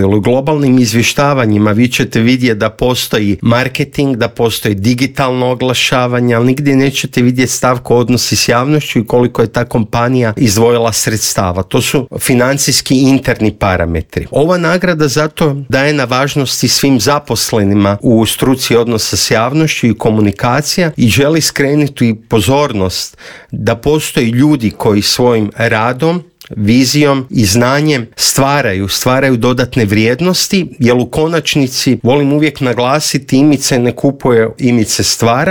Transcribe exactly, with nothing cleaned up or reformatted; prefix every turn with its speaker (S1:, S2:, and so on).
S1: U globalnim izvještavanjima vi ćete vidjeti da postoji marketing, da postoji digitalno oglašavanje, ali nigdje nećete vidjeti stavku odnosi s javnošću i koliko je ta kompanija izdvojila sredstava. To su financijski interni parametri. Ova nagrada zato daje na važnosti svim zaposlenima u struci odnosa s javnošću i komunikacija i želi skrenuti pozornost da postoji ljudi koji svojim radom, vizijom i znanjem stvaraju, stvaraju dodatne vrijednosti, jer u konačnici volim uvijek naglasiti, imid se ne kupuje, imid se stvara